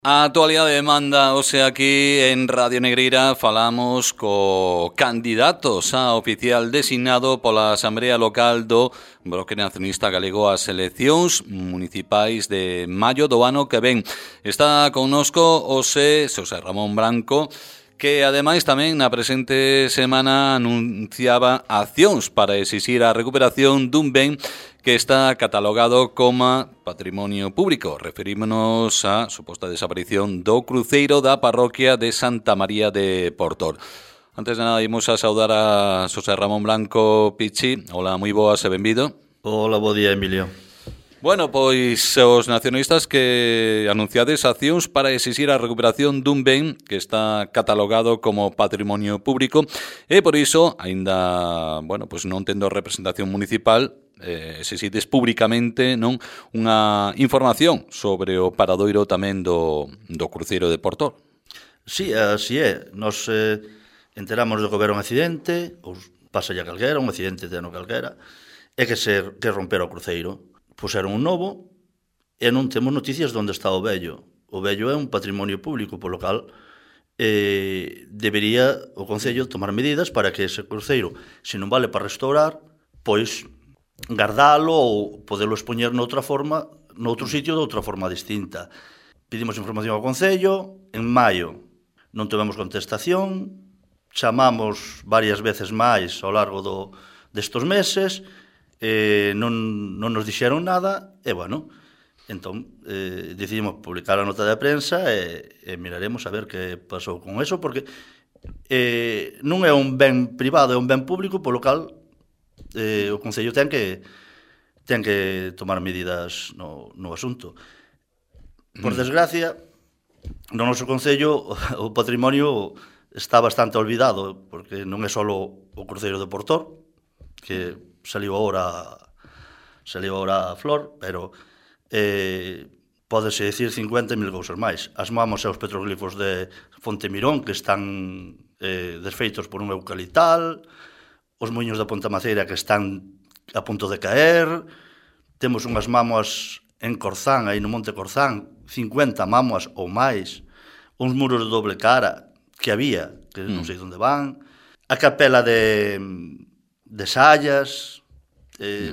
A actualidade demanda, hoxe aquí en Radio Negreira falamos co candidatos a oficial designado pola Asamblea Local do Bloque Nacionalista Galego ás eleccións municipais de maio do ano que ven. Está connosco hoxe Xosé Ramón Branco, que ademais tamén na presente semana anunciaba accións para exixir a recuperación dun ben que está catalogado como patrimonio público. Referímonos á suposta desaparición do cruceiro da parroquia de Santa María de Portor. Antes de nada, imos a saudar a Xosé Ramón Branco Pichi. Hola, moi boas e benvido. Hola, bo día, Emilio. Bueno, pois os nacionalistas que anunciades accións para exixir a recuperación dun ben que está catalogado como patrimonio público e por iso, aínda, bueno, pois non tendo representación municipal, exixides públicamente non unha información sobre o paradoiro tamén do cruceiro de Portor. Sí, así é. Nos enteramos de que houber un accidente, ou pasa ya calquera, un accidente de ano calquera, e que romper o cruceiro. Puseron un novo e non temos noticias de onde está o vello. O vello é un patrimonio público, polo cal debería o Concello tomar medidas para que ese cruceiro, se non vale para restaurar, pois guardalo ou podelo expoñer noutra forma, noutro sitio de outra forma distinta. Pedimos información ao Concello, en maio non tivemos contestación, chamamos varias veces máis ao largo destos meses, non nos dixeron nada, e, bueno, entón decidimos publicar a nota de prensa e miraremos a ver que pasou con eso, porque non é un ben privado, é un ben público, polo cal o Concello ten que tomar medidas no asunto. Por desgracia, no noso Concello o patrimonio está bastante olvidado, porque non é só o cruceiro de Portor, que saliu agora a flor, pero pódese dicir 50.000 cousas máis. As mamos e os petroglifos de Fonte Mirón, que están desfeitos por un eucaliptal, os muiños da Ponta Maceira que están a punto de caer, temos unhas mámoas en Corzán, aí no Monte Corzán, 50 mámoas ou máis, uns muros de doble cara que había, que non sei onde van, a capela de Sallas,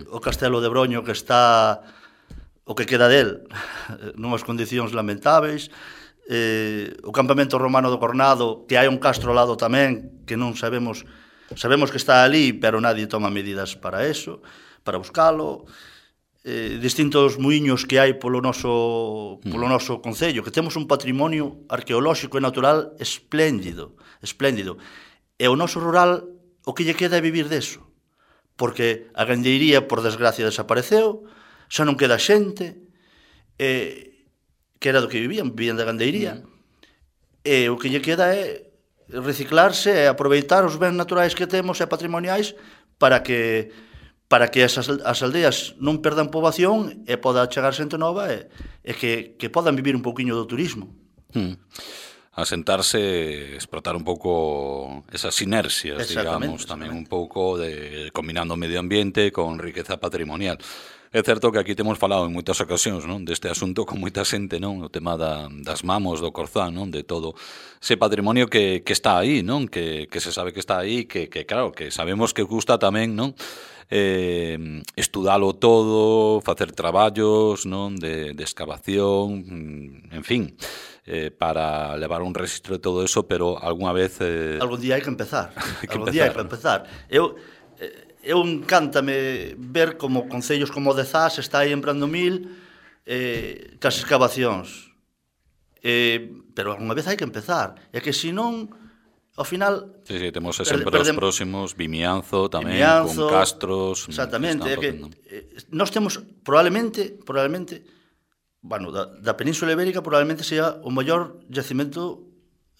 o castelo de Broño que está, o que queda del, nunhas condicións lamentáveis, o campamento romano do Cornado, que hai un castro ao lado tamén, que non sabemos que está ali, pero nadie toma medidas para eso, para buscalo, distintos muiños que hai polo noso Concello, que temos un patrimonio arqueolóxico e natural espléndido, e o noso rural o que lle queda é vivir deso, porque a gandeiría, por desgracia, desapareceu, xa non queda xente, que era do que vivían da gandeiría, e o que lle queda é reciclarse e aproveitar os bens naturais que temos e patrimoniais para que as aldeas non perdan poboación e poda chegar xente nova e que podan vivir un pouquiño do turismo. Asentarse, explotar un pouco esas sinerxias, digamos, tamén un pouco de combinando o medio ambiente con riqueza patrimonial. É certo que aquí temos falado en moitas ocasións, non, deste asunto con moita xente, non, o tema das mamos do Corzán, non, de todo ese patrimonio que está aí, non, que se sabe que está aí, que claro, que sabemos que gusta tamén, non, estudalo todo, facer traballos, non, de excavación, en fin, para levar un registro de todo eso, pero algunha vez... Algún día hai que empezar. Eu encántame ver como concellos como o de Zas está aí en Brandomil cas excavacións. Pero algunha vez hai que empezar. É que senón, ao final... Sí, temos exemplos próximos, Vimianzo tamén, con Castros... Exactamente, é que nós temos probablemente, bueno, da Península Ibérica probablemente sea o maior yacimento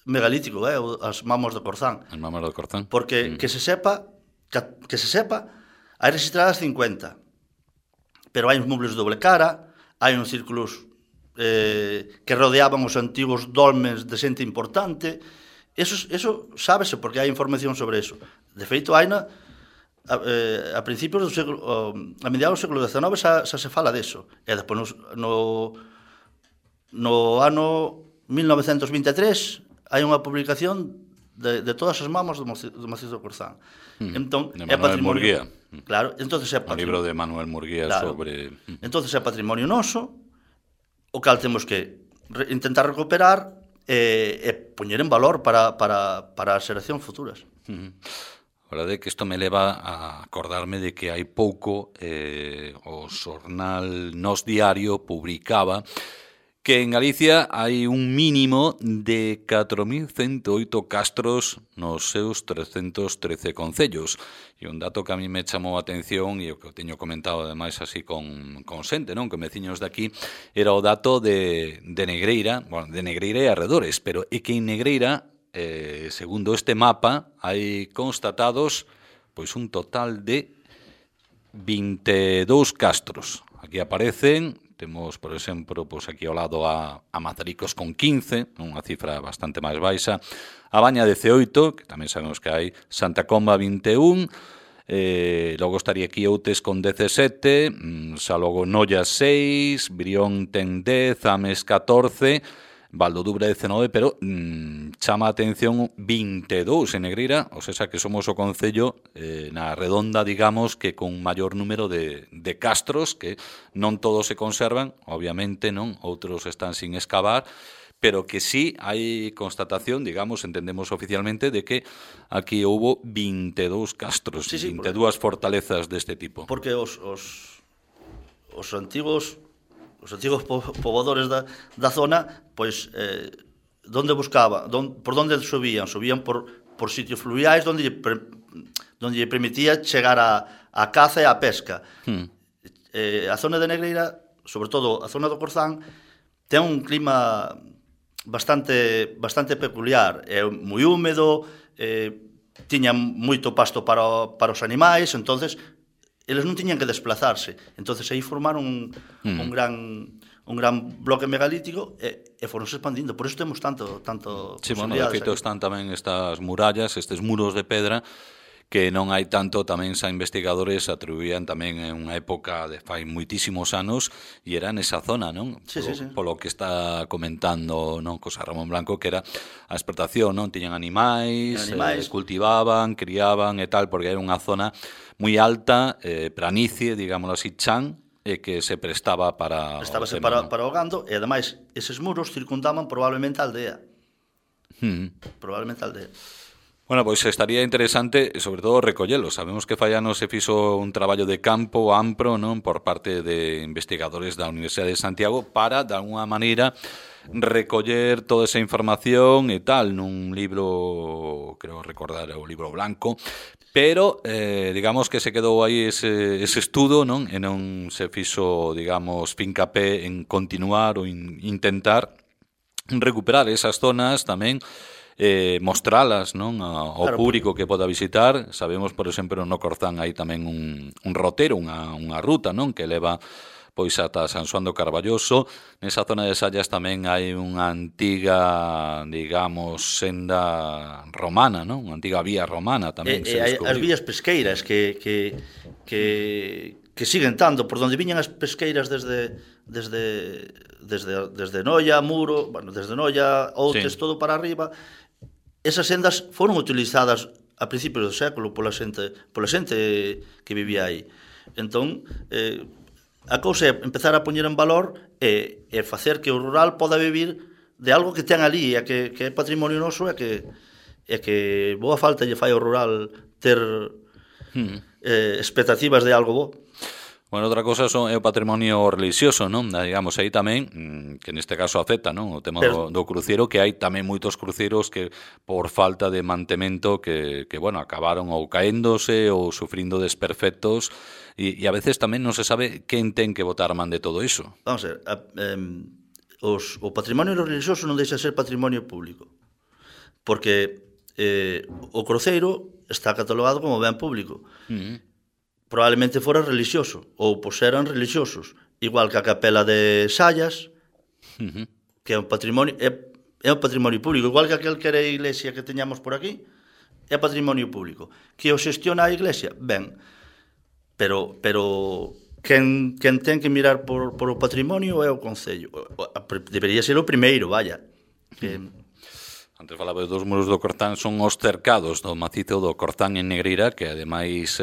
megalítico, as mamos do Corzán. As mamos do Corzán. Porque que se sepa, hai registradas 50, pero hai uns mubles de doble cara, hai uns círculos que rodeaban os antigos dolmens de xente importante. Eso sábese porque hai información sobre eso. De feito, haina a principios do século, a mediados do século XIX xa se fala deso. E despois no ano 1923 hai unha publicación de todas as mamas do Macizo do Corzán. Entón, de Manuel Murguía. Claro, entonces é o libro de Manuel Murguía, claro, sobre... Entonces é patrimonio noso, o cal temos que intentar recuperar e poñer en valor para as xeracións futuras. A verdade é que isto me leva a acordarme de que hai pouco o xornal Nós Diario publicaba que en Galicia hai un mínimo de 4.108 castros nos seus 313 concellos. E un dato que a mí me chamou a atención e o que eu teño comentado ademais así con xente, non, con veciños de aquí, era o dato de Negreira, bueno, de Negreira e arredores, pero é que en Negreira, segundo este mapa, hai constatados pois un total de 22 castros. Aquí aparecen, temos, por exemplo, pois aquí ao lado a Mazaricos con 15, unha cifra bastante máis baixa, a Baña 18, que tamén sabemos que hai, Santa Comba 21, logo estaría aquí Outes con 17, Salogo Noia 6, Brión ten 10, Ames 14, Valdodubre 19, pero chama a atención 22 en Negreira, ou seja que somos o concello na redonda, digamos, que con maior número de castros, que non todos se conservan, obviamente, non, outros están sin excavar, pero que sí hai constatación, digamos, entendemos oficialmente, de que aquí houbo 22 castros, sí, 22 fortalezas deste tipo. Porque os antigos poboadores da zona, pois, donde buscaban, por donde subían por sitios fluviais donde lle permitía chegar a caza e a pesca. A zona de Negreira, sobre todo a zona do Corzán, ten un clima bastante peculiar, é moi húmedo, tiña moito pasto para os animais, entonces eles non tiñan que desplazarse. Entonces aí formaron un gran bloque megalítico e foronse expandindo. Por iso temos tanto sí, bueno, de feito están tamén estas murallas, estes muros de pedra, que non hai tanto, tamén xa investigadores atribuían tamén en unha época de fai moitísimos anos e era nesa zona, non? Sí. Polo que está comentando, non, José Ramón Blanco, que era a explotación, non? Tiñan animais. Cultivaban, criaban e tal, porque era unha zona moi alta, planicie, digámoslo así, chan, e que se prestaba para o gando, e ademais eses muros circundaban probablemente a aldea. Probablemente a aldea. Bueno, pois estaría interesante, sobre todo, recollelo. Sabemos que fai anos se fixo un traballo de campo amplo, non, por parte de investigadores da Universidade de Santiago para, de alguna maneira, recoller toda esa información e tal nun libro, creo recordar, o libro blanco, pero digamos que se quedou aí ese estudo, non? E non se fixo, digamos, fincapé en continuar ou intentar recuperar esas zonas tamén, mostralas, non, ao público que poda visitar. Sabemos, por exemplo, no Corzán hai tamén un rotero, unha ruta, non, que leva pois ata San Xoán do Carballoso. Nesa zona de Sallas tamén hai unha antiga, digamos, senda romana, non? Unha antiga vía romana tamén. As vías pesqueiras que siguen tanto, por donde viñan as pesqueiras desde Noia, Muro, bueno, desde Noia, Outes, sí, todo para arriba. Esas sendas foron utilizadas a principios do século pola xente que vivía aí. Entón, a cousa é empezar a poñer en valor e facer que o rural poda vivir de algo que ten ali, e que é patrimonio noso, e que boa falta lle fai ao rural ter expectativas de algo bo. Bueno, outra cosa é o patrimonio religioso, non? Digamos, aí tamén, que neste caso afecta, non? O tema do cruceiro, que hai tamén moitos cruceiros que por falta de mantemento que bueno, acabaron ou caéndose ou sufrindo desperfectos, e a veces tamén non se sabe quen ten que botar man de todo iso. Vamos a ver, o patrimonio religioso non deixa de ser patrimonio público, porque o cruceiro está catalogado como ben público. Probablemente fora religioso, ou pois eran religiosos, igual que a capela de Sallas, que é un patrimonio público, igual que aquel que era a iglesia que teñamos por aquí, é patrimonio público. Que o xestiona a iglesia? Ben, pero quen ten que mirar por o patrimonio é o Concello. Debería ser o primeiro, vaya. Antes falaba dos muros do Corzán, son os cercados do macizo do Corzán en Negreira, que ademais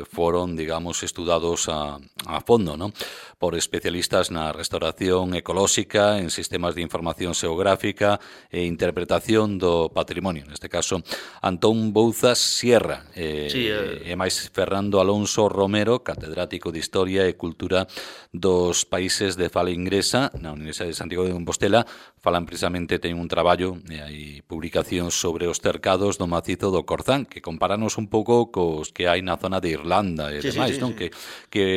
foron, digamos, estudados a fondo, non? Por especialistas na restauración ecolóxica, en sistemas de información xeográfica e interpretación do patrimonio. Neste caso, Antón Bouzas Sierra e máis Fernando Alonso Romero, catedrático de Historia e Cultura dos países de fala inglesa na Universidade de Santiago de Compostela, falan precisamente, ten un traballo e hai publicacións sobre os cercados do macizo do Corzán, que comparanos un pouco cos que hai na zona de Irlanda e demais, non? Que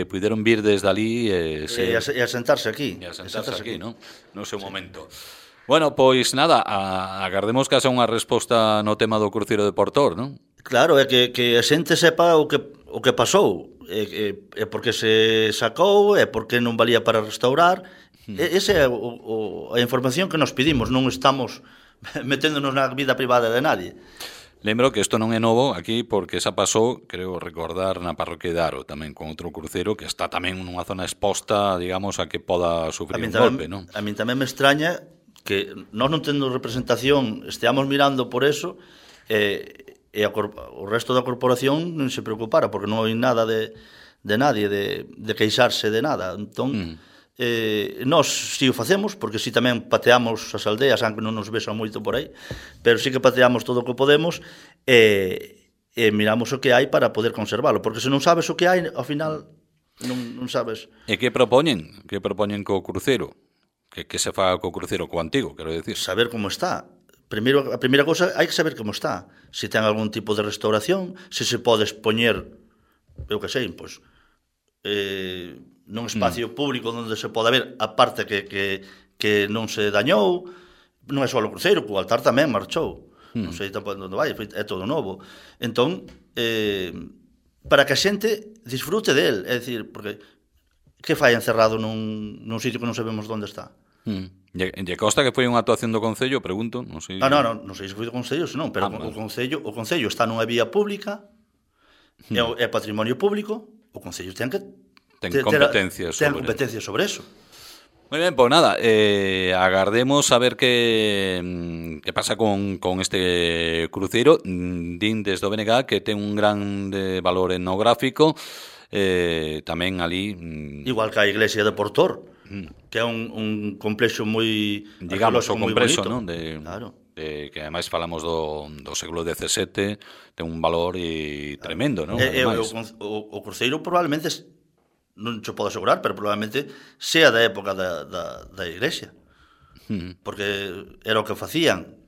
puderon vir desde ali e asentarse aquí. E asentarse aquí, non? No seu momento. Bueno, pois nada, agardemos que haxa unha resposta no tema do cruceiro de Portor, non? Claro, é que a xente sepa o que pasou, é porque se sacou, é porque non valía para restaurar. Esa é a información que nos pedimos, non estamos meténdonos na vida privada de nadie. Lembro que isto non é novo aquí porque xa pasou, creo recordar, na parroquia de Aro tamén con outro cruceiro que está tamén nunha zona exposta, digamos, a que poda sufrir un golpe, non? A min tamén me extraña que nós non tendo representación esteamos mirando por eso e o resto da corporación non se preocupara porque non hai nada de nadie de queixarse de nada. Entón, nós si o facemos, porque si tamén pateamos as aldeas, aunque non nos vexan moito por aí, pero si que pateamos todo o que podemos e miramos o que hai para poder conservalo, porque se non sabes o que hai, ao final non sabes. E que propoñen? Que propoñen co cruceiro? Que se faga co cruceiro co antigo, quero dicir? Saber como está. Primeiro, a primeira cousa, hai que saber como está. Se ten algún tipo de restauración, se se pode expoñer, eu que sei, pois, nun espacio público onde se pode ver a parte que non se dañou, non é só o cruceiro, o altar tamén marchou, non sei tampouco onde vai, é todo novo. Entón, para que a xente disfrute del, é dicir, porque que fai encerrado nun sitio que non sabemos onde está? E consta que foi unha actuación do Concello, pregunto, non sei. Non sei se foi do Concello, senón, pero o Concello está nunha vía pública, é patrimonio público, o Concello ten que ten competencias sobre eso. Moi ben, pois nada, agardemos a ver que pasa con este cruceiro. Din desde o BNG que ten un grande valor etnográfico, tamén ali... Igual que a iglesia de Portor, que é un complexo moi... Digamos, o complexo, non? Claro. Que ademais falamos do século XVII, ten un valor tremendo, non? O cruceiro probablemente... non se pode asegurar, pero probablemente sea da época da iglesia. Porque era o que facían.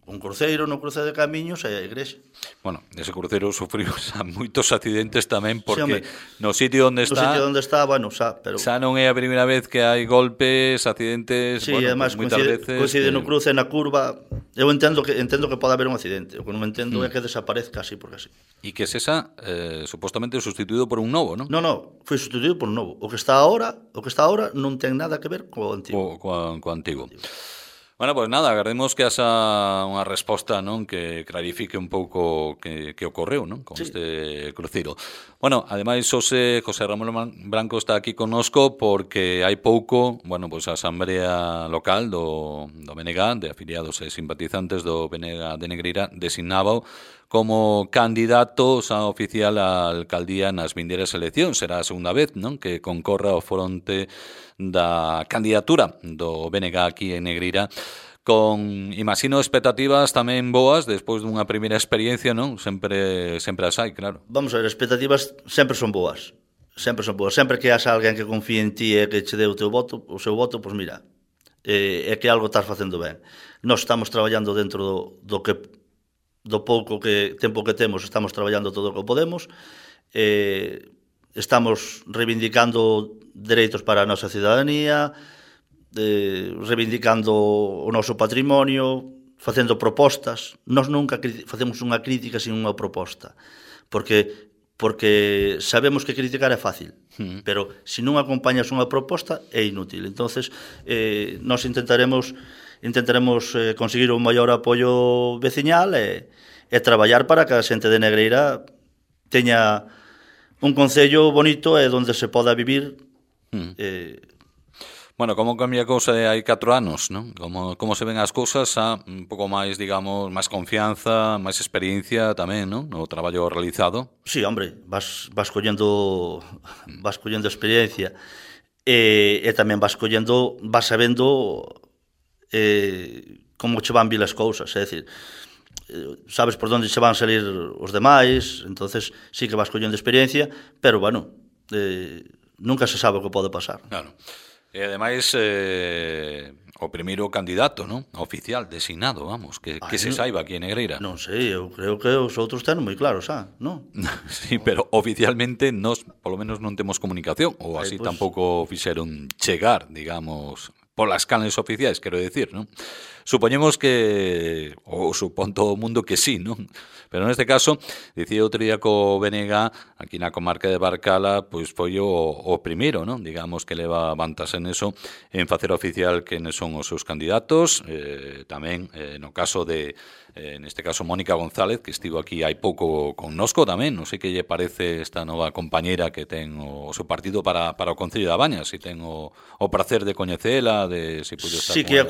Un cruceiro no cruce de camiños e a iglesia. Bueno, ese cruceiro sufriu moitos accidentes tamén porque no sitio onde está, bueno, pero xa non é a primeira vez que hai golpes, accidentes, además, moitas veces coincide no cruce, na curva. Eu entendo que pode haber un accidente. O que non entendo é que desaparezca así porque así. E que esa supostamente sustituído por un novo, non? Non, foi sustituído por un novo. O que está ahora non ten nada que ver co antigo. Co antigo. Bueno, pois nada, agardemos que haxa unha resposta, non, que clarifique un pouco que ocorreu, non, con este cruceiro. Bueno, ademais José Ramón Branco está aquí connosco porque hai pouco, bueno, pois a Asamblea Local do BNG, de afiliados e simpatizantes do BNG de Negreira, designaba como candidato xa oficial á alcaldía nas vindeiras eleccións. Será a segunda vez, non, que concorra ao fronte da candidatura do BNG aquí en Negreira, con, imagino, expectativas tamén boas despois dunha primeira experiencia, non? Sempre as hai, claro. Vamos a ver, expectativas sempre son boas. Sempre que haxa alguén que confíe en ti e que che dé o seu voto, pois mira, é que algo estás facendo ben. Nós estamos traballando dentro do pouco tempo que temos, estamos traballando todo o que podemos, estamos reivindicando dereitos para a nosa cidadanía, reivindicando o noso patrimonio, facendo propostas. Nós nunca facemos unha crítica sin unha proposta, porque sabemos que criticar é fácil, pero se non acompañas unha proposta é inútil. Entonces, nós intentaremos conseguir un maior apoio veciñal e traballar para que a xente de Negreira teña un concello bonito e onde se poda vivir. Bueno, como cambia a cousa hai 4 anos, non? Como se ven as cousas a un pouco máis, digamos, máis confianza, máis experiencia tamén, non? No traballo realizado. Sí, hombre, vas collendo experiencia e tamén vas sabendo como che van vir as cousas, é dicir, sabes por onde che van salir os demais, entonces sí que vas collendo experiencia, pero bueno, nunca se sabe o que pode pasar. Claro. E ademais o primeiro candidato, non? Oficial, designado, vamos, que se saiba aquí en Negreira. Non sei, eu creo que os outros ten moi claro, xa, non? Sí, pero oficialmente nos, polo menos non temos comunicación, ou así Pues, tampouco fixeron chegar, digamos, polas canles oficiais, quero decir, non? Supoñemos que, ou supón todo o mundo que sí, non? Pero neste caso, dicía outro día co BNG, aquí na comarca de Barcala, pois foi o primeiro, non? Digamos que leva vantas en eso, en facer oficial quenes son os seus candidatos, tamén no caso de, neste caso, Mónica González, que estivo aquí hai pouco connosco tamén, non sei que lle parece esta nova compañeira que ten o seu partido para o Concello da Baña, se ten o prazer de coñecela, de se puido estar sí, que a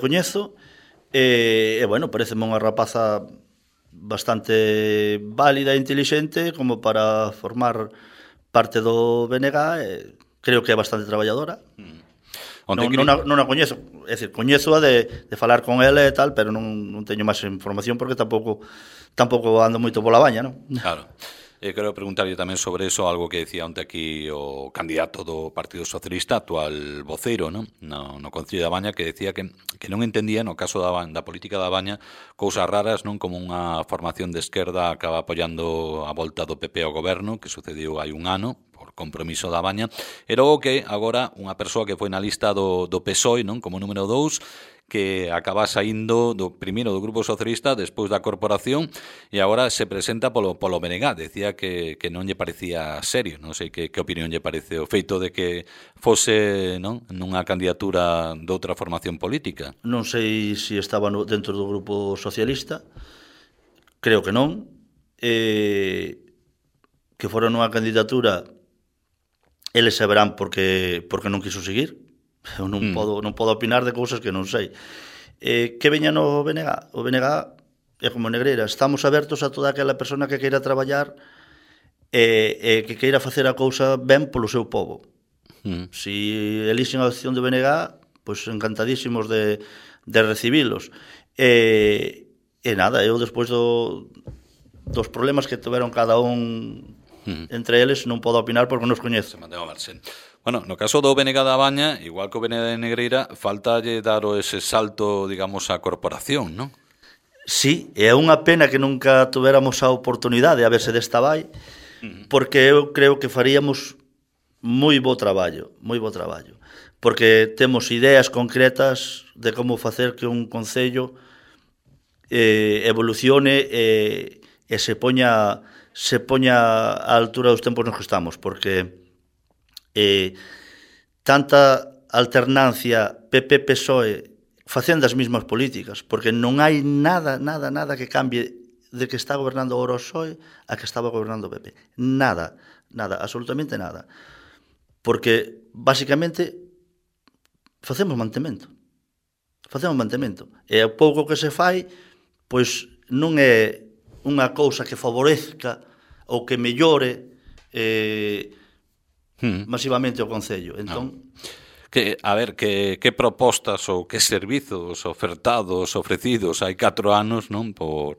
coñezo, e bueno, pareceme unha rapaza bastante válida e intelixente como para formar parte do BNG, creo que é bastante traballadora. Non a coñezo, é dicir, coñezo a de falar con ela e tal, pero non teño máis información porque tampouco ando moito pola baña, non? Claro. Quero preguntarlle tamén sobre eso, algo que decía onte aquí o candidato do Partido Socialista, actual voceiro, non? No Concello da Baña, que decía que non entendía, no caso da política da Baña, cousas raras, non? Como unha formación de esquerda acaba apoiando a volta do PP ao goberno, que sucediu hai un ano, por compromiso da Baña, e logo que agora unha persoa que foi na lista do PSOE, non? Como número 2, que acaba saindo primeiro do Grupo Socialista, despois da corporación, e agora se presenta polo BNG. Decía que non lle parecía serio, non sei que opinión lle parece o feito de que fose, non, nunha candidatura de outra formación política. Non sei se estaba dentro do Grupo Socialista, creo que non, que fora nunha candidatura, eles saberán porque non quiso seguir. Eu non podo opinar de cousas que non sei. Que veña no BNG? O BNG é como Negreira, estamos abertos a toda aquela persona que queira traballar e que queira facer a cousa ben polo seu povo. Si elixen a opción do BNG, pois encantadísimos de recibilos. E nada, eu despois dos problemas que tiveron cada un entre eles non podo opinar porque non os coñezo. Se mantén ao marxen. Bueno, no caso do BNG da Baña, igual que o BNG de Negreira, faltalle dar ese salto, digamos, á corporación, non? Sí, é unha pena que nunca tuveramos a oportunidade, a ver se desta vai, porque eu creo que faríamos moi bo traballo, porque temos ideas concretas de como facer que un concello evolucione e se poña á altura dos tempos nos que estamos, porque tanta alternancia PP-PSOE facendo as mesmas políticas, porque non hai nada que cambie de que está gobernando agora o PSOE a que estaba gobernando o PP. Nada, absolutamente nada. Porque, basicamente, facemos mantemento. E o pouco que se fai, pois non é unha cousa que favorezca ou que mellore masivamente o Concello. Entón, a ver, que propostas ou que servizos ofertados, ofrecidos hai 4 anos, non, por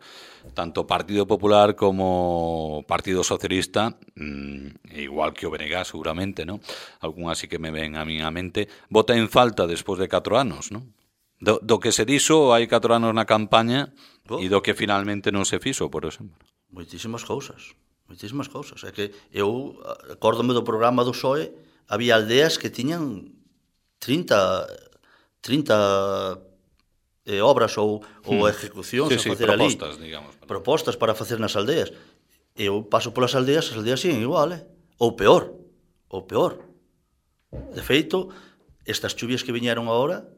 tanto Partido Popular como Partido Socialista, igual que o BNG seguramente, non? Algún así que me ven a min a mente, vota en falta despois de 4 anos, non? Do que se dixo hai 4 anos na campaña e do que finalmente non se fixo, por exemplo. Moitísimas cousas. É que eu acórdome do programa do PSOE, había aldeas que tiñan 30 obras ou ejecucións a facer ali. Propostas para facer nas aldeas. Eu paso polas aldeas, as aldeas siguen igual, ou peor. De feito, estas chuvias que viñeron agora,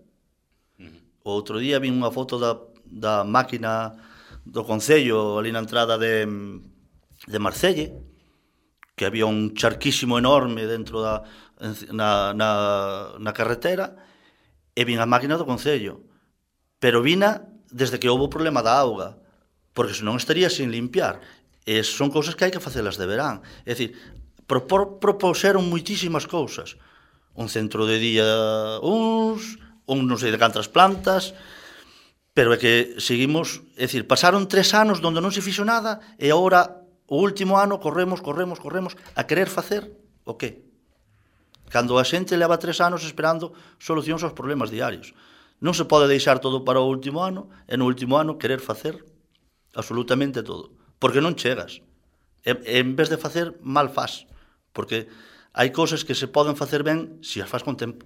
o outro día vi unha foto da máquina do Concello ali na entrada de Marcelle, que había un charquísimo enorme dentro na carretera, e vin a máquina do Concello. Pero vina desde que houve o problema da auga, porque senón estaría sin limpiar. E son cousas que hai que facelas de verán. É dicir, propuseron moitísimas cousas. Un centro de día un non sei de cantas plantas, pero é que seguimos, é dicir, pasaron 3 anos onde non se fixo nada e agora o último ano corremos a querer facer o qué? Cando a xente leva 3 anos esperando solucións aos problemas diarios. Non se pode deixar todo para o último ano e no último ano querer facer absolutamente todo, porque non chegas. En vez de facer, mal faz, porque hai cousas que se poden facer ben se as faz con tempo.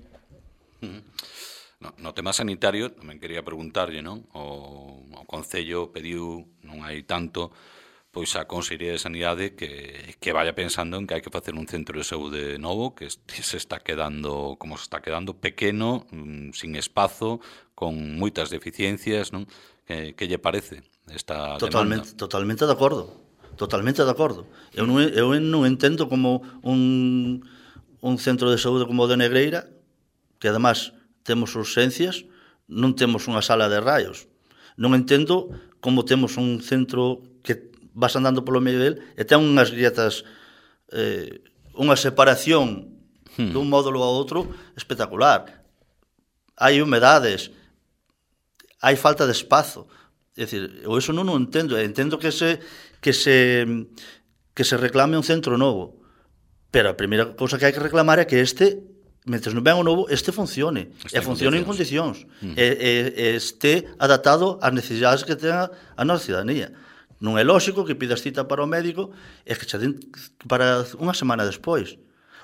No tema sanitario, tamén quería preguntarlle, non? O Concello pediu, non hai tanto, pois a Consellería de Sanidade que vaya pensando en que hai que facer un centro de saúde novo que se está quedando, como se está quedando, pequeno, sin espazo, con moitas deficiencias, non? Que lle parece esta demanda? Totalmente de acordo. Eu non entendo como un centro de saúde como o de Negreira, que además temos urxencias, non temos unha sala de raios. Non entendo como temos un centro que vas andando polo medio del e ten unhas grietas, unha separación dun módulo a outro espectacular. Hai humedades, hai falta de espazo. É dicir, eu iso non o entendo. Entendo que se reclame un centro novo. Pero a primeira cousa que hai que reclamar é que mentre non ven o novo, funcione. E funcione en condicións. E este adaptado ás necesidades que ten a nosa ciudadanía. Non é lóxico que pidas cita para o médico e que che den para unha semana despois.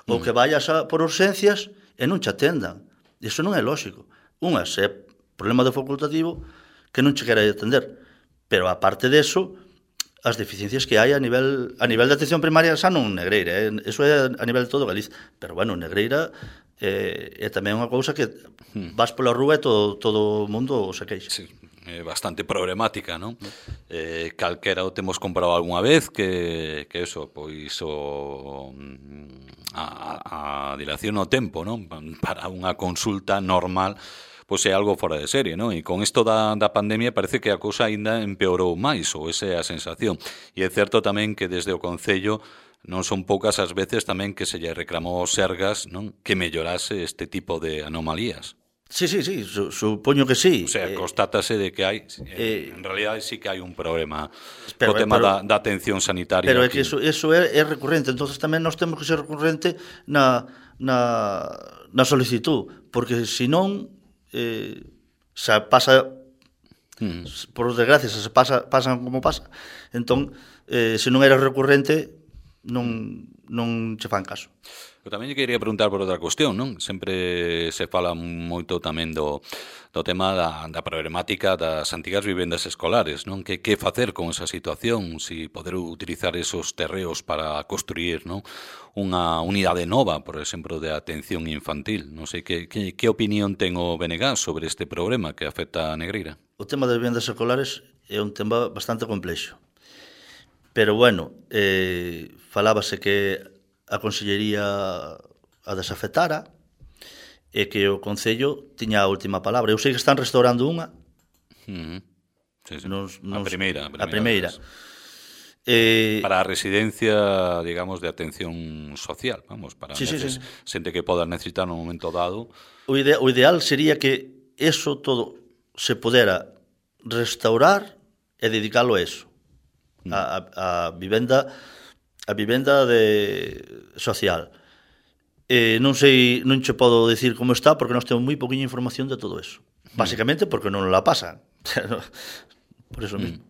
Ou que vayas por urxencias e non che atendan. Iso non é lóxico. É problema de facultativo que non che quera atender. Pero, aparte deso, as deficiencias que hai a nivel de atención primaria xa non Negreira. Eso é a nivel de todo Galicia. Pero, bueno, Negreira é tamén unha cousa que vas pola rúa e todo o mundo se queixa. Sí. Bastante problemática, non? Calquera o temos comprado algunha vez que eso, pois a dilación no tempo, non? Para unha consulta normal, pois é algo fora de serie, non? E con isto da pandemia parece que a cousa aínda empeorou máis, ou esa é a sensación. E é certo tamén que desde o Concello non son poucas as veces tamén que se lle reclamou aos Sergas, non? Que mellorase este tipo de anomalías. Sí, supoño que sí. O sea, constátase de que hai, en realidad sí que hai un problema co tema da atención sanitaria. Pero é que eso é recurrente, entonces tamén nós temos que ser recurrente na solicitud, porque senón se pasa, por desgracia, se pasan como pasa, entón, se non era recurrente, non che fan caso. Eu tamén lle quería preguntar por outra cuestión, non? Sempre se fala moito tamén do tema da problemática das antigas vivendas escolares, non? Que facer con esa situación? Si poder utilizar esos terreos para construir, non? Unha unidade nova, por exemplo, de atención infantil. Non sei que opinión ten o BNG sobre este problema que afecta a Negreira. O tema das vivendas escolares é un tema bastante complexo. Pero, bueno, falábase que a Consellería a desafectara e que o Concello tiña a última palabra. Eu sei que están restaurando unha. Sí. A primeira. Para a residencia, digamos, de atención social, vamos, para xente que poda necesitar no momento dado. O ideal sería que eso todo se pudera restaurar e dedicalo a eso. A vivenda social. Non sei, non che podo decir como está porque nós temos moi poquinha información de todo eso. Básicamente porque non la pasan. Por eso mesmo.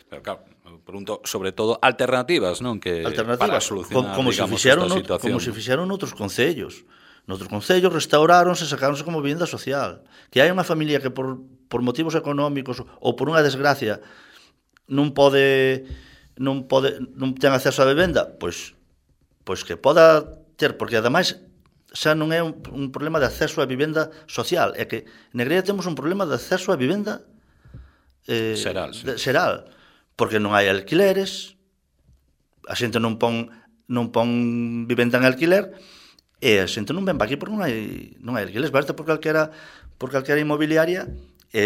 Pero claro, pregunto sobre todo alternativas, non? Que para solucionar, digamos, esta situación. Como se fixeron noutros concellos. Noutros concellos restauráronse, sacáronse como vivenda social. Que hai unha familia que por motivos económicos ou por unha desgracia non ten acceso á vivenda, pois que poda ter, porque ademais xa non é un problema de acceso á vivenda social, é que en Negreira temos un problema de acceso á vivenda xeral, porque non hai alquileres, a xente non pon non pon vivenda en alquiler, e a xente non ven para aquí porque non hai alquileres, basta por calquera inmobiliaria, e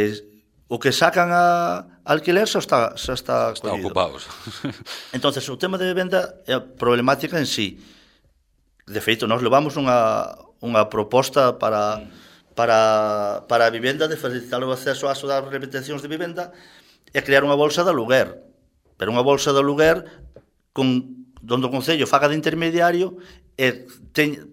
o que sacan a alquiler xa está collido. Ocupados. Entonces, o tema de vivenda é a problemática en sí. De feito, nós levamos unha proposta para a vivenda, de facilitar o acceso ás rehabilitacións de vivenda e crear unha bolsa de aluguer. Pero unha bolsa de aluguer donde o Concello faga de intermediario e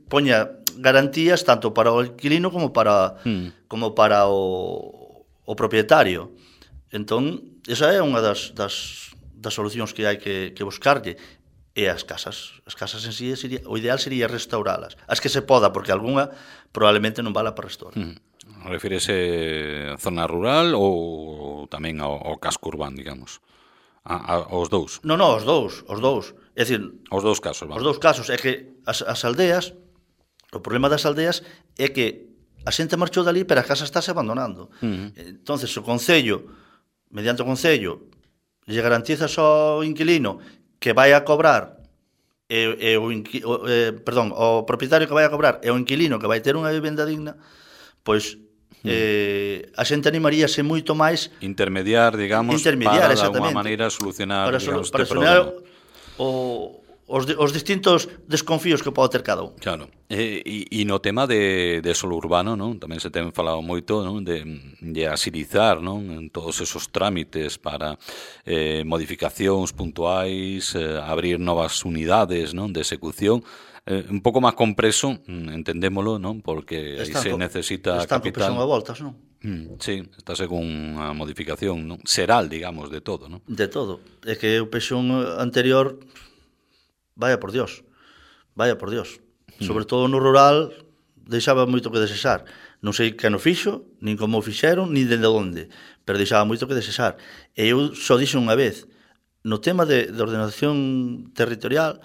poña garantías tanto para o inquilino como para o propietario. Entón, esa é unha das solucións que hai que buscarlle. E as casas en sí, o ideal sería restauralas. As que se poda, porque algunha probablemente non vala para restaurar. Refírese a zona rural ou tamén ao casco urbano, digamos? Aos dous? Non, os dous. É dicir, os dous casos, vamos. Os dous casos é que as aldeas, o problema das aldeas é que a xente marchou dali, pero a casa estáse abandonando. Entonces, o Concello, mediante o Concello, lle garantiza ao inquilino que vai a cobrar o propietario que vai a cobrar e o inquilino que vai ter unha vivenda digna, pois a xente animaríase moito máis intermediar, digamos, para de alguma maneira solucionar este problema. Os distintos desconfíos que pode ter cada un. Claro. E no tema de solo urbano, non? Tamén se ten falado moito, non? De agilizar, non? En todos esos trámites para modificacións puntuais, abrir novas unidades, non? De execución. Un pouco máis compreso, entendémolo, non? Porque aí se necesita capital. Están con presión a voltas, non? Sí, está según a modificación, non? Seral, digamos, de todo, non? De todo. É que o presión anterior, vaya por Dios. Sobre todo no rural, deixaba moito que desexar. Non sei que no fixo, nin como o fixeron, nin dende onde, pero deixaba moito que desexar. E eu só dixo unha vez, no tema de ordenación territorial,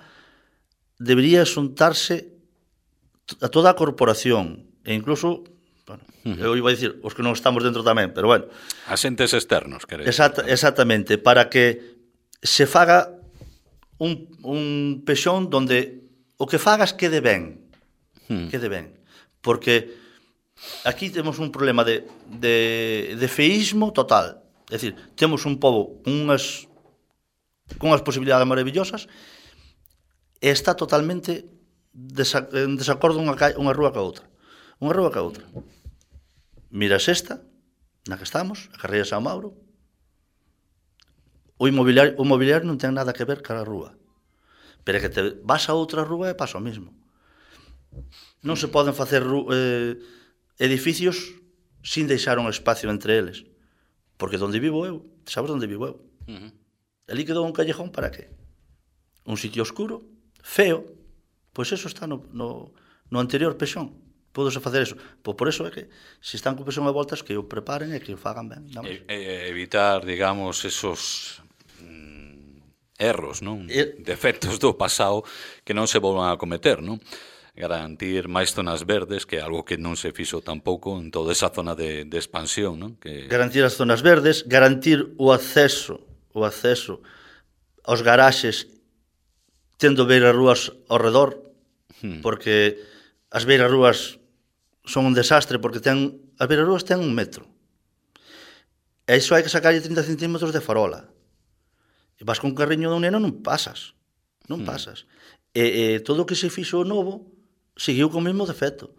debería xuntarse a toda a corporación, e incluso, bueno, eu iba a dicir, os que non estamos dentro tamén, pero bueno. Asentes externos, queréis. Exactamente, para que se faga un pexón donde o que fagas quede ben. Porque aquí temos un problema de feísmo total. É dicir, temos un pobo con unhas posibilidades maravillosas e está totalmente en desacordo unha rúa ca outra. Miras esta, na que estamos, a carreira de San Mauro, o mobiliario non ten nada que ver ca rúa. Pero é que te vas a outra rúa e pasa o mismo. Non se poden facer edificios sin deixar un espacio entre eles. Porque onde vivo eu, sabes onde vivo eu? Ali quedou un callejón para qué? Un sitio oscuro, feo, pois eso está no anterior pexón. Pódose facer eso. Pois por eso é que se están con pexón a voltas que o preparen e que o fagan ben. Evitar, digamos, esos erros, non? Defectos do pasado que non se volvan a cometer, non? Garantir máis zonas verdes, que é algo que non se fixo tampouco en toda esa zona de expansión, non? Garantir as zonas verdes, garantir o acceso aos garaxes tendo beirarrúas ao redor, porque as beirarrúas son un desastre, porque as beirarrúas ten 1 metro. E iso hai que sacarlle 30 centímetros de farola. E vas con un carriño dun neno, non pasas. E todo o que se fixo novo seguiu con o mesmo defecto.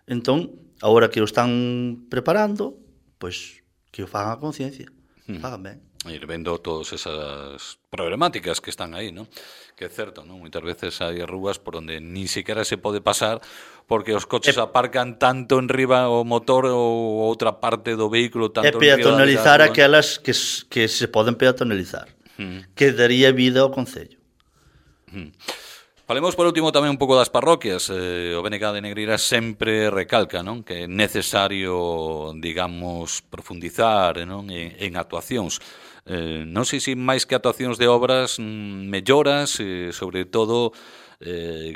Entón, agora que o están preparando, pois que o fagan a conciencia, fagan ben. Ir vendo todas esas problemáticas que están aí, non? Que é certo, non? Moitas veces hai rúas por onde nin siquiera se pode pasar porque os coches aparcan tanto enriba o motor ou outra parte do vehículo tanto enriba. E peatonalizar aquelas que se poden peatonalizar, que daría vida ao Concello. Falemos por último tamén un pouco das parroquias. O BNG de Negreira sempre recalca, non? Que é necesario, digamos, profundizar, non? En actuacións. Non sei se máis que actuacións de obras, melloras, sobre todo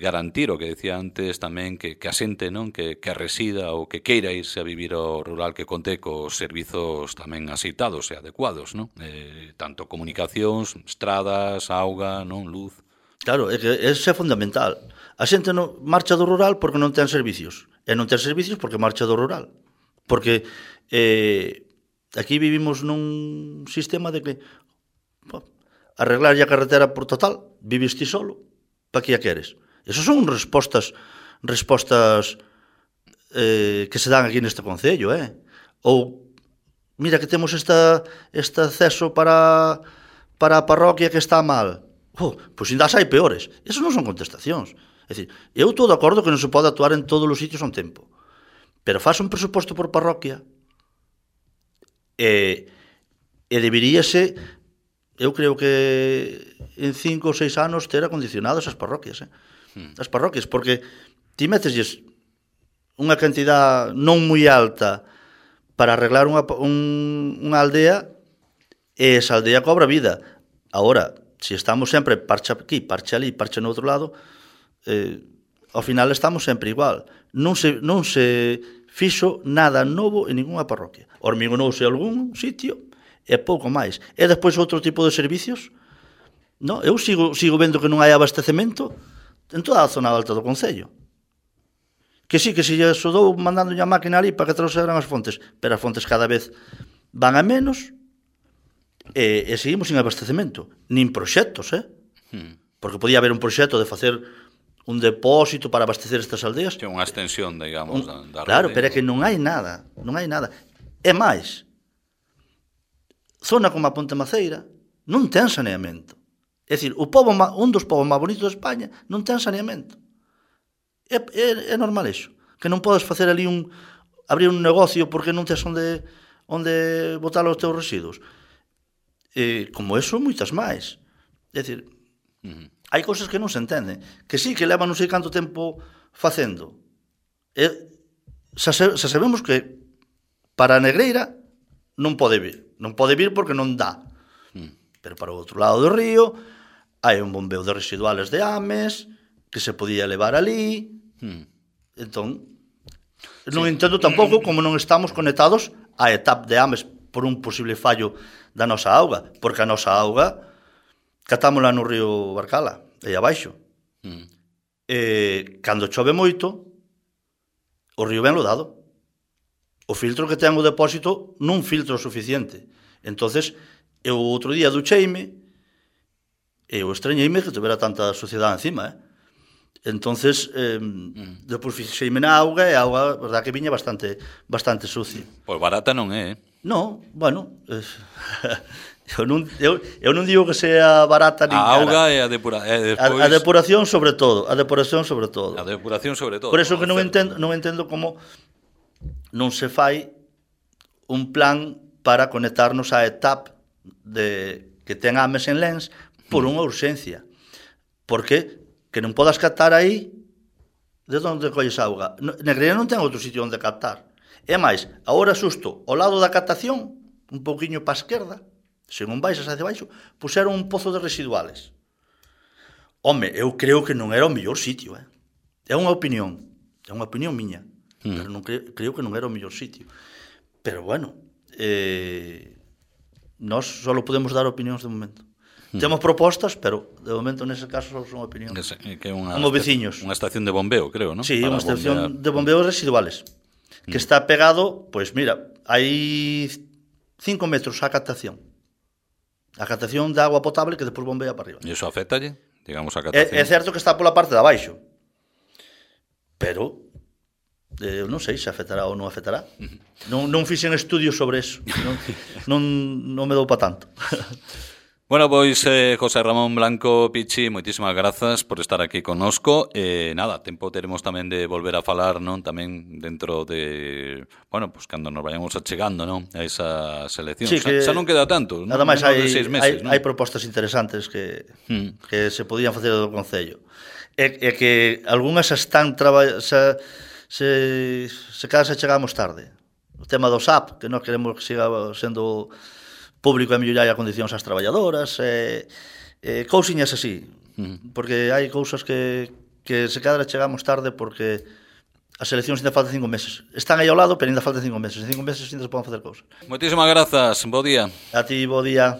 garantir o que decía antes tamén que a xente, non? Que resida ou que queira irse a vivir ao rural que conte cos servizos tamén aceitados e adecuados, non? Tanto comunicacións, estradas, auga, non? Luz. Claro, é que ese é fundamental. A xente non marcha do rural porque non ten servicios. E non ten servicios porque marcha do rural. Porque aquí vivimos nun sistema de que arreglar a carretera por total, vives ti solo, pa que a queres? Esas son respostas que se dan aquí neste concello, Ou, mira que temos este acceso para a parroquia que está mal. Pois ainda hai peores. Esas non son contestacións. É dicir, eu estou de acordo que non se pode actuar en todos os sitios a un tempo. Pero faz un presuposto por parroquia e deberíase, eu creo que en 5 ou 6 anos ter acondicionadas as parroquias. As parroquias, porque ti metesles unha cantidad non moi alta para arreglar unha aldea e esa aldea cobra vida. Agora, se estamos sempre parcha aquí, parcha ali, parcha no outro lado, ao final estamos sempre igual. Non se fixo nada novo en ninguna parroquia. Hormigonouse algún sitio e pouco máis. E despois outro tipo de servicios. No, eu sigo vendo que non hai abastecemento en toda a zona alta do concello. Que sí, que se lle sudou mandando a máquina ali para que trouxeran as fontes, pero as fontes cada vez van a menos e seguimos sin abastecemento, nin proxectos, porque podía haber un proxecto de facer un depósito para abastecer estas aldeas. Que unha extensión, digamos, da claro, rede. pero é que non hai nada. É máis, zona como a Ponte Maceira non ten saneamento. É dicir, un dos povos máis bonitos de España non ten saneamento. É normal iso, que non podes facer ali abrir un negocio porque non tes onde botar os teus residuos. Como eso, moitas máis. É dicir, hai cousas que non se entenden, que sí, que levan non sei canto tempo facendo. Xa sabemos que para a Negreira non pode vir porque non dá. Pero para o outro lado do río hai un bombeo de residuales de Ames que se podía levar ali. Entón, non entendo tampouco como non estamos conectados á etapa de Ames por un posible fallo da nosa auga, porque a nosa auga catámola no río Barcala, aí abaixo. Cando chove moito, o río ben lodado. O filtro que ten o depósito non filtro suficiente. Entonces, eu outro día ducheime e eu estreñeime que tivera tanta suciedade encima, Entonces, depois fixeime na auga e a auga, verdad que viña bastante sucia. Pois barata non é, Non, bueno, eu non digo que sea barata nin a cara. auga e a depuración. A depuración sobre todo. A depuración sobre todo. Por eso que non entendo como non se fai un plan para conectarnos á etapa que ten Ames en Lens por unha urxencia. Porque que non podas captar aí, de onde colles auga? Negreira non ten outro sitio onde captar. E máis, agora xusto, ao lado da captación, un pouquiño para a esquerda, se non baixas hacia baixo, puseron un pozo de residuales. Home, eu creo que non era o mellor sitio, É unha opinión miña, pero non creo que non era o mellor sitio. Pero bueno, nós só podemos dar opinións de momento. Temos propostas, pero de momento nese caso só son opinións. Que é como veciños. Unha estación de bombeo, creo, non? Sí, unha estación de bombeos residuales. Que está pegado, pois mira, hai 5 metros a captación. A captación de agua potable que despois bombea para arriba. E iso afectalle, digamos, a captación? É certo que está pola parte de abaixo. Pero eu non sei se afectará ou non afectará. Non fixen estudios sobre eso. Non me dou pa tanto. Bueno, pois José Ramón Blanco Pichi, moitísimas grazas por estar aquí connosco. Nada, tempo teremos tamén de volver a falar, non? Tamén dentro de, bueno, pues cando nos vayamos achegando, non? A esa selección. Sí, xa non queda tanto, nada máis hai 6 meses, non? Hai propostas interesantes que se podían facer do Concello. E que algunhas están se cada se chegamos tarde. O tema do SAP, que non queremos que siga sendo público e mellorar a condicións ás traballadoras, cousiñas así, porque hai cousas que se cadra chegamos tarde porque as eleccións ainda faltan 5 meses. Están aí ao lado, pero ainda faltan 5 meses. En 5 meses ainda se poden facer cousas. Moitísimas grazas, bo día. A ti, bo día.